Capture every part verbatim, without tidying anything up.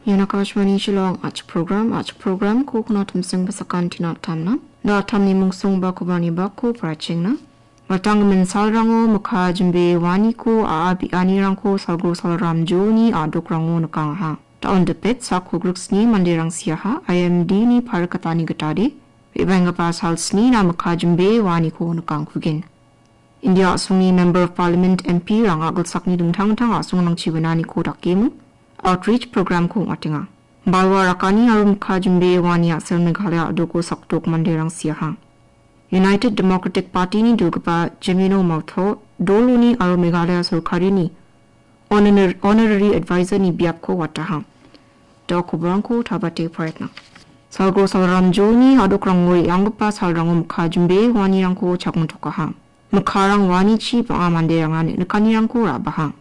Ian Akashvani Shillong. Achi program, achi program ko kuna tumsing pasakan tina tamna. Na tamni mungsong ba kubani bako parachengna. Matanggimin salrango mikha jimbe waniko a·a bi·anirangko salgro salramjoni a·dokrango nikangaha. Taon dipet sak kogriksni manderang siaha, I M D ni parikatani gitade, re·baenggipa salsni na mikha jimbe waniko nikangkugen. India a·songni Member of Parliament, M P rang a·gilsakni dingtang dingtang a·songrangchi winaniko dakemo outreach program-ko ong·atenga. Balwa rakani aro mikha jimbe wani a·sel Meghalaya a·doko sakdok manderang siaha. United Democratic Party-ni dilgipa Jemino Mawtho, doloni aro Meghalaya sorkarini Honor-, Honorary Advisor-ni biapko wataha. Da koborangko tabate paretna. Salgro salramjoni a·dokrango re·anggipa salrango mikha jimbe wanirangko chakmitokaha. Mikharang wanichi bang·a manderanga niknikanirangko ra·baha.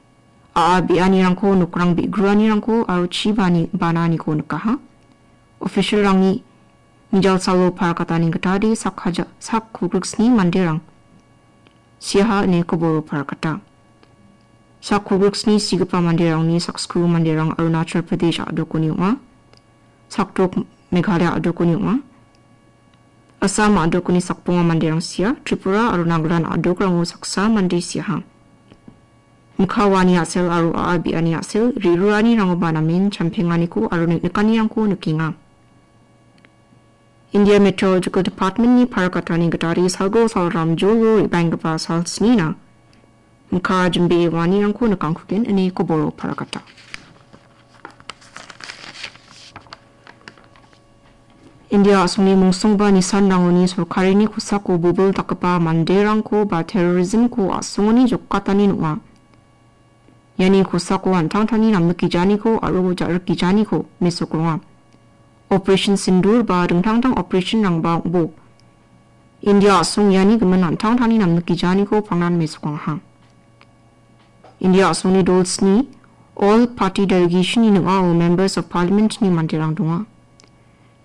A·a bi·anirangko, nokrang bi·gruanirangko aro chibani bananiko nikaha. Official-rangni mijalsalo parakatani gitade sak haja-, sak kogriksni manderang siaha ine koboro parakata. Sak kogriksni sigipa manderangni sakskriu manderang Arunachal Pradesh a·dokoni ong·a. Sakdok Meghalaya a·dokoni ong·a. Assam a·dokoni sakbonga manderang sia, Tripura aro Nagaland a·dokrango saksa mande siaha. Mikha wani a·sel aro a·a bi·ani a·sel, re·ruranirangoba namen champenganiko aro niknikanirangko nikenga. India Meteorological Department-ni parakatani gitade salgro salramjolo re·baenggipa salsnina mikha jimbe wanirangko nikangkugen ine koboro parakata. India a·songni mungsongba nisanrangoni sorkarini kosako bobil dakgipa manderangko ba terrorism-ko a·songoni jokatani nonga. Iani kosako an·tangtangni namnikgijaniko aro ja·rikgijaniko mesokronga. Operation Sindoor ba dingtang dingtang operation-rangba ong·bo. India a·song iani gimin an·tangtangni namnikgijaniko pangnan mesokangaha. India a·songni dol sni, All Party Delegation-ni ning·ao Members of Parliament-ni manderang donga.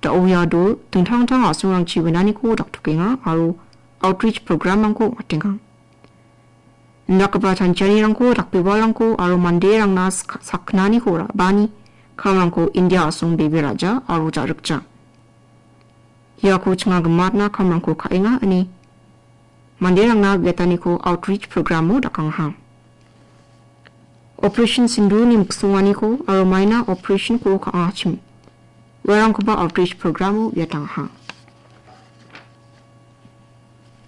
Da·o ia dol dingtang dingtang a·songrangchi winaniko daktokenga aro outreach program-rangko ong·atenga. Indakgipa chanchianirangko, dakbebalrangko aro manderangna sak-, sakgnaniko ra·bani kamrangko India a·song bebe ra·ja aro ja·rikja. Iako chinga gimatna kamrangko ka·enga ine manderangna uiataniko outreach program-o dakangaha. Operation Sindoor-ni miksonganiko aro maina operation-ko ka·angachim uarangkoba outreach program-o uiatangaha.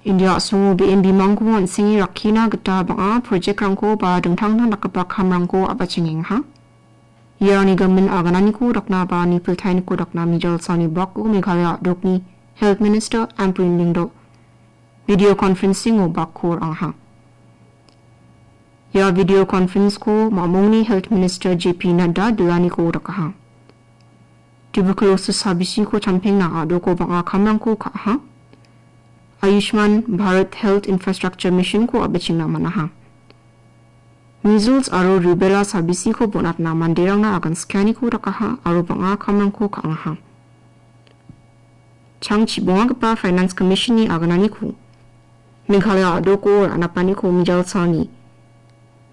India a·songo be·en bimangko an·senge rakkina gita bang·a project-rangko ba dingtang dingtang dakgipa kamrangko a·bachengengaha. Iarangni gimin agananiko dakna ba nipiltainiko dakna mijalsalni bako Meghalaya a·dokni Health Minister Ampareen Lyngdoh video conferencing-o bako ra·angaha. Ia video conference-ko mamungni Health Minister J P Nadda dilaniko dakaha. Tuberculosis sabisiko champengna a·doko bang·a kamrangko ka·aha. Ayushman Bharat Health Infrastructure Mission-ko a·bachengna man·aha. Measles aro rubella sabisiko bonatna manderangna agan skianiko dakaha aro bang·a kamrangko ka·angaha. Chang chibongagipa Finance Commission-ni agananiko Meghalaya a·doko ra·napaniko mijalsalni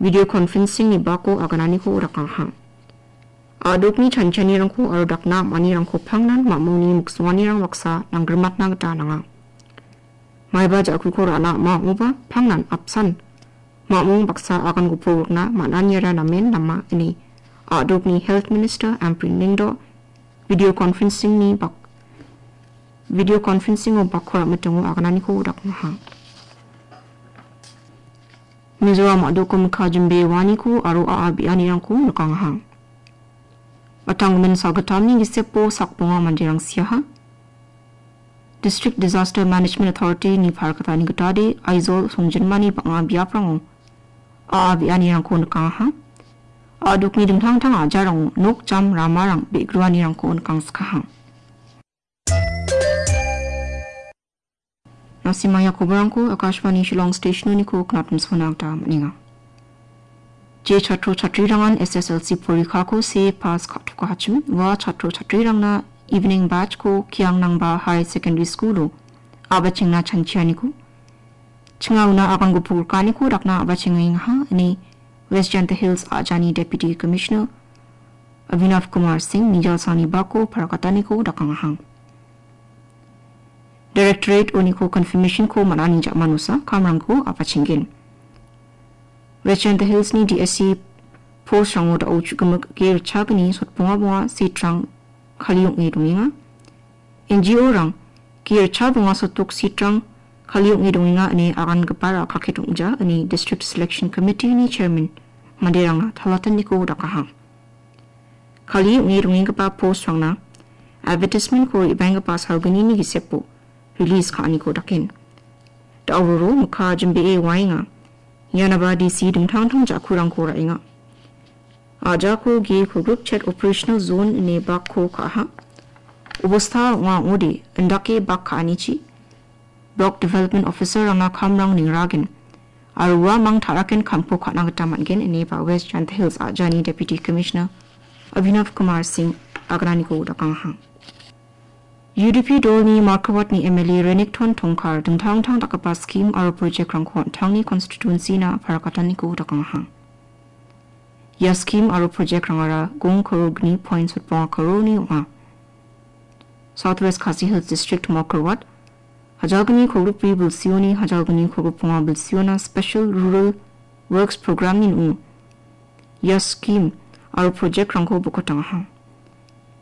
video conferencing-ni bako agananiko dakangaha. A·dokni chanchianirangko aro dakna am·anirangko pangnan mamungni miksonganirang baksa nanggrimatna gita nanga. Maiba ja·kuko ra·na ama ong·oba pangnan apsan mamung baksa agan gopok rikna man·aniara namen nama ine a·dokni Health Minister Ampareen Lyngdoh video conferencing-ni bak-, video conferencing-o bako ra·mitingo agananiko dakangaha. Mizoram a·doko mikha jimbe waniko aro a·a bi·anirangko nikangaha. Matanggimin salgittamni gisepo sakbonga manderang siaha. District Disaster Management Authority-ni parakatani gitade Aizawl songjinmani bang·a biaprango a·a bi·anirangko nikangaha. A·dokni dingtang dingtang a·jarango nok jam ramarang be·gruanirangko nikangskaha. Nasimaya koborangko Akashvani Shillong Station-oniko knatmsona gita man·enga. Je chatro chatrirangan S S L C porikako se pass ka·tokachim, ua chatro chatrirangna evening batch-ko Kiangnangba High Secondary School-o a·bachengna chanchianiko, chinga una agan gopok rikaniko dakna a·bachengengaha, ine West Jaintia Hills a·jani Deputy Commissioner Abhinav Kumar Singh mijal salni bako parakataniko dakangaha. Directorate oniko confirmation-ko man·ani ja·manosa kamrangko apachenggen. West Jaintia Hills-ni D S C post-rango da·o chu·gimik ge ritchagni sotbonga bonga seat-rang kali ong·e dongenga. N G O-rang ge ritchabonga sotbok seat-rang kali ong·e dongenga ine agangipara kakket ong·ja ine District Selection Committee-ni chairman manderangna talataniko dakaha. Kali ong·e dongenggipa post-rangna advertisement-ko re·baenggipa salgnini gisepo release ka·aniko daken. Da·ororo mikka jimbee waenga. Ianaba D C dingtang dingtang ja·kurangko ra·enga. A·jako ge kogrik chet operational zone ine bakko ka·aha. Obosta ong·a ong·ode indake bak ka·anichi Block Development Officer-rangna kamrang ningragen aro uamang ta·raken kamko ka·na gita man·gen ine ba West Jaintia Hills a·jani Deputy Commissioner Abhinav Kumar Singh agananiko dakangaha. U D P dolni Markawatni M L A Renikton Tongkar dingtang dingtang dakgipa skim aro project-rangko an·tangni constituency-na parakataniko dakangaha. Ia skim aro project-rangara gong karor gni point sotbonga karorni ong·a. South West Khasi Hills District Markawat, hajalgni kogrikbri bilsioni hajalgni kogrikbonga bilsiona Special Rural Works Program-ni ning·o ia skim aro project-rangko bokotangaha.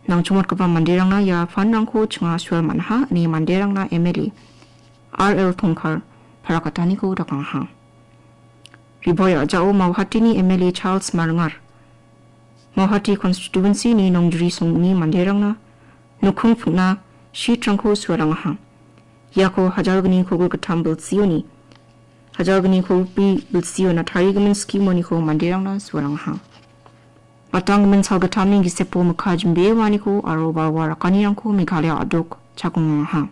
Nangchongmatgipa manderangna ia fund-rangko chinga sual man·aha ine manderangna M L A R L Tongkar parakataniko dakangaha. Riboi a·jao Mauhatini M L A Charles Maringar, Mauhati constituency-ni Nongjri songni manderangna nokkong ping·na sheet-rangko suarangaha. Iako hajalgni kogrik gittam bilsioni, hajalgni kogrikbri bilsiona tarigimin skim-oniko manderangna suarangaha. Batanggimin salgittamni gisepo mikka jimbewaniko aro balwa rakanirangko Meghalaya a·dok chakongaha.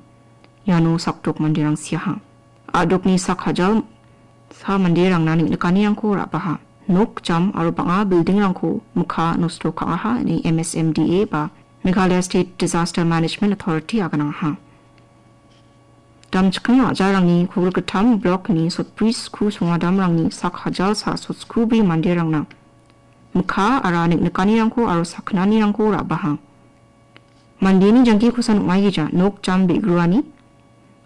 Iano sakdok manderang siaha. A·dokni sak hajal sa manderangna neng·nikanirangko ra·baha. Nok jam aro bang·a building-rangko mikka nosto ka·aha ine M S M D A ba Meghalaya State Disaster Management Authority aganangaha. Damchiking a·jarangni kogrik gittam blok-ni sotbri sku songadamrangni sak hajal sa sotskubri manderangna mikka aro neng·nikanirangko aro sakgnanirangko ra·baha. Mandeni jangkikosan ong·aigija nok jam be·gruani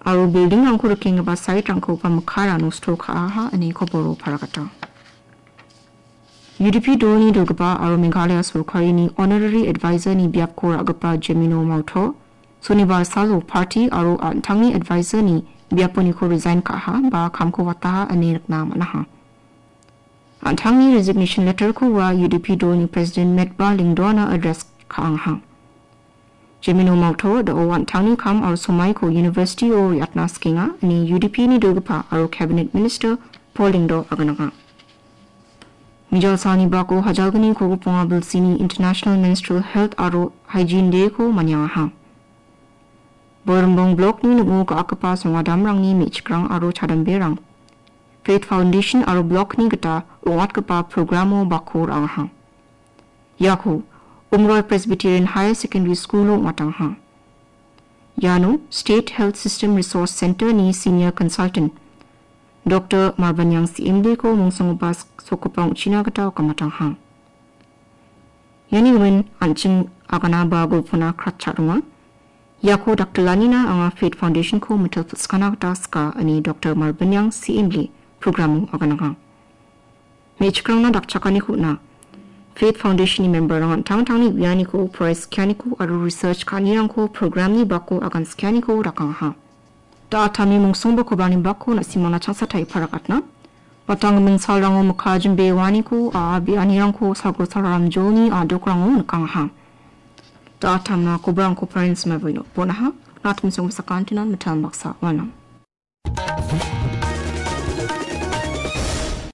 aro building-rangko rikenggipa site-rangkoba mikkara nosto ka·aha ine koboro paragata. U D P dolni dilgipa aro Meghalaya sorkarini honorary advisor-ni biapko ra·gipa Jemino Mauto, sonibar salo party aro an·tangni advisor-ni biaponiko resign ka·aha ba kamko wataha ine nikna man·aha. An·tangni resignation letter-ko ua U D P dolni president Metba Lyngdoh-na address ka·angaha. Jemino Mauto da·o an·tangni kam aro somaiko university-o re·atna sikenga ine U D P-ni dilgipa aro cabinet minister Paul Lyngdoh agananga. Mijal salni bako hajalgni kogrik bonga bilsini International Menstrual Health aro Hygiene Day-ko maniangaha. Boirimong blok-ni ning·o ga·akgipa songadamrangni me·chikrang aro chadamberang Faith Foundation aro blok-ni gita ong·atgipa program-o bako ra·angaha. Iako Umroi Presbyterian Higher Secondary School-o ong·atangaha. Iano State Health System Resource Center-ni Senior Consultant Doctor Marbaniang C M D-ko mongsonggipa sak-, sokgipa ong·china gita okamatangaha. Iani gimin an·ching agana ba golpona kratcha donga. Iako daktilanina anga Faith Foundation-ko mitel pil·skana gita sika, ine Doctor Marbaniang C M D program-o aganangaha. Me·chikrangna dakchakaniko on·a. Faith Foundation-ni member-rang an·tangtangni uianiko, prize skianiko aro research ka·anirangko program-ni bako agan skianiko dakangaha. Da·atami mongsongbo kobarni bako na·simangna changsatai parakatna. Batanggimin salrango mikka jimbewaniko, a·a be·anirangko salgro salram jolni a·dokrango nikangaha. Da·atamna kobarangko parents mabaino bonaha. Natmi songbo sakantinan mitam baksa walnang.